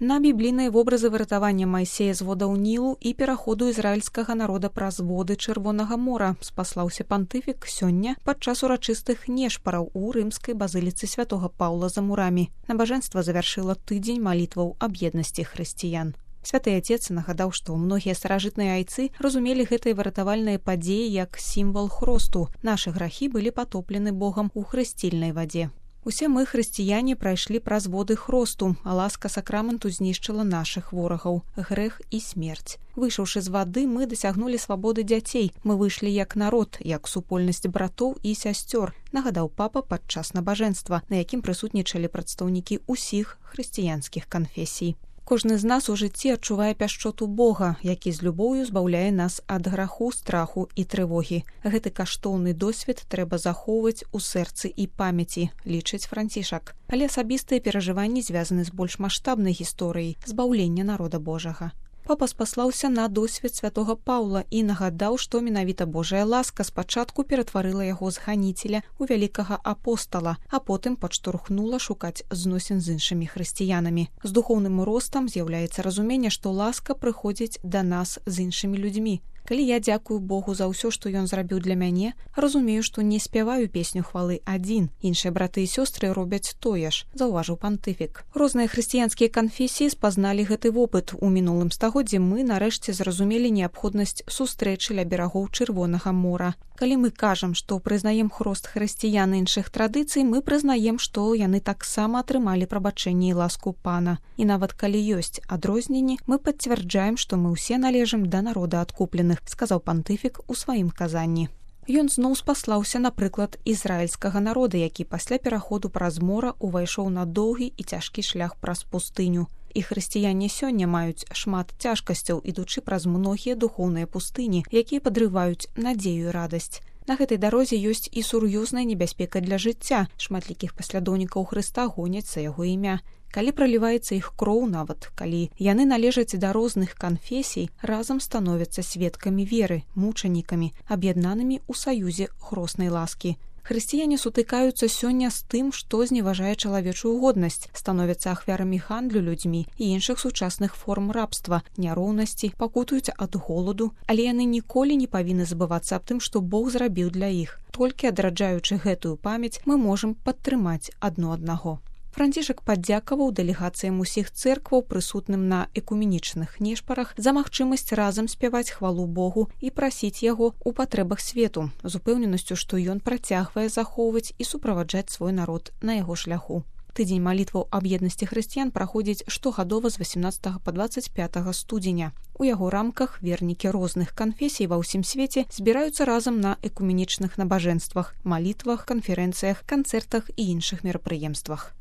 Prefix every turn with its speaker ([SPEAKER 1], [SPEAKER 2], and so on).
[SPEAKER 1] На біблійныя вобразы выратавання Майсея з водаў Нілу і пераходу ізраільскага народа праз воды Чырвонага мора спаслаўся пантыфік сёння падчас урачыстых нешпараў у рымскай базыліцы святога Паўла за мурамі. Набажэнства завяршыла тыдзень малітваў аб еднасці хрысціян. Святы Отец нагадаў, што многія старажытныя айцы разумелі гэтыя выратавальныя падзеі як сімвал хросту. Нашы грахі былі патоплены Богам у хрысцільнай вадзе. Усе мы, хрысціяне, прайшлі праз воды хросту, а ласка сакраменту знішчыла нашых ворагаў, грэх і смерць. Выйшаўшы з вады, мы дасягнулі свабоды дзяцей. Мы выйшлі як народ, як супольнасць братоў і сясцёр, нагадаў папа падчас набажэнства, на якім прысутнічалі прадстаўнікі ўсіх хрысціянскіх канфесій. Кожны з нас у жыцці адчувае пяшчоту Бога, які з любоўю збаўляе нас ад граху, страху і трывогі. Гэты каштоўны досвед трэба захоўваць у сэрцы і памяці, лічыць Францішак. Але асабістыя перажыванні звязаны з больш маштабнай гісторыяй збаўлення народа Божага. Папа спаслаўся на досвед святога Паўла і нагадаў, што менавіта Божая ласка спачатку ператварыла яго з ганіцеля ў вялікага апостала, а потым падштурхнула шукаць зносін з іншымі хрысціянамі. З духоўным ростам з'яўляецца разуменне, што ласка прыходзіць да нас з іншымі людзьмі. Калі я дзякую Богу за ўсё, што ён зрабіў для мяне, разумею, што не спяваю песню хвалы адзін. Іншыя браты і сёстры робяць тое ж, заўважыў пантыфік. Розныя хрысціянскія канфесіі спазналі гэты вопыт. У мінулым стагоддзі мы нарэшце зразумелі неабходнасць сустрэчы ля берагоў Чырвонага мора. Калі мы кажам, што прызнаем хрост хрысціян іншых традыцый, мы прызнаем, што яны таксама атрымалі прабачэнне і ласку Пана. І нават калі ёсць адрозненні, мы пацвярджаем, што мы ўсе належым да народа адкупленых, сказаў пантыфік у сваім казанні. Ён зноў спаслаўся на прыклад ізраільскага народа, які пасля пераходу праз мора увайшоў на доўгі і цяжкі шлях праз пустыню. І хрысціяне сёння маюць шмат цяжкасцяў, ідучы праз многія духоўныя пустыні, якія падрываюць надзею і радасць. На гэтай дарозе ёсць і сур'ёзная небяспека для жыцця. Шматлікіх паслядоўнікаў Хрыста гоняць за яго імя. Калі праліваецца іх кроў, нават калі яны належаць да розных канфесій, разам становяцца сведкамі веры, мучанікамі, аб'яднанымі ў саюзе хроснай ласкі. Хрысціяне сутыкаюцца сёння з тым, што зневажае чалавечую годнасць, становяцца ахвярамі гандлю людзьмі і іншых сучасных форм рабства, няроўнасці, пакутуюць ад голаду, але яны ніколі не павінны забывацца аб тым, што Бог зрабіў для іх. Толькі адраджаючы гэтую памяць, мы можам падтрымаць адно аднаго. Францішак падзякаваў дэлегацыям усіх цэркваў, прысутным на экуменічных нешпарах, за магчымасць разам спяваць хвалу Богу і прасіць яго ў патрэбах свету, з упэўненасцю, што ён працягвае захоўваць і суправаджаць свой народ на яго шляху. Тыдзень малітваў аб еднасці хрысціян праходзіць штогадова з 18 па 25 студзеня. У яго рамках вернікі розных канфесій ва ўсім свеце збіраюцца разам на экуменічных набажэнствах, малітвах, канферэнцыях, канцэртах і іншых мерапрыемствах.